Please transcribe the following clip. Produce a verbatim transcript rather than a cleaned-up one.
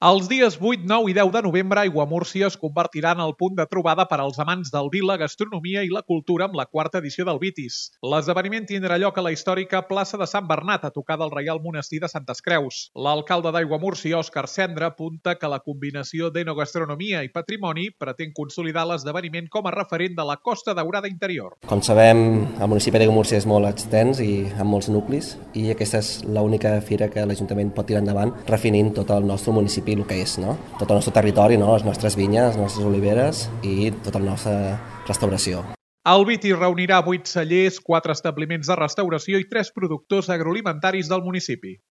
Els dies vuit, nou i deu de novembre, Aiguamúrcia es convertirà en el punt de trobada per als amants del vi, la gastronomia i la cultura amb la quarta edició del Vitis. L'esdeveniment tindrà lloc a la històrica plaça de Sant Bernat, a tocar del Reial Monestir de Santes Creus. L'alcalde d'Aiguamúrcia, Òscar Cendra, apunta que la combinació d'enogastronomia i patrimoni pretén consolidar l'esdeveniment com a referent de la Costa Daurada interior. Com sabem, el municipi d'Aiguamúrcia és molt extens i amb molts nuclis, i aquesta és l'única fira que l'Ajuntament pot tirar endavant, refinint tot el nostre municipi el que és, no? Tot el nostre territori, no? Les nostres vinyes, les nostres oliveres i tota la nostra restauració. El Vitis reunirà vuit cellers, quatre establiments de restauració i tres productors agroalimentaris del municipi.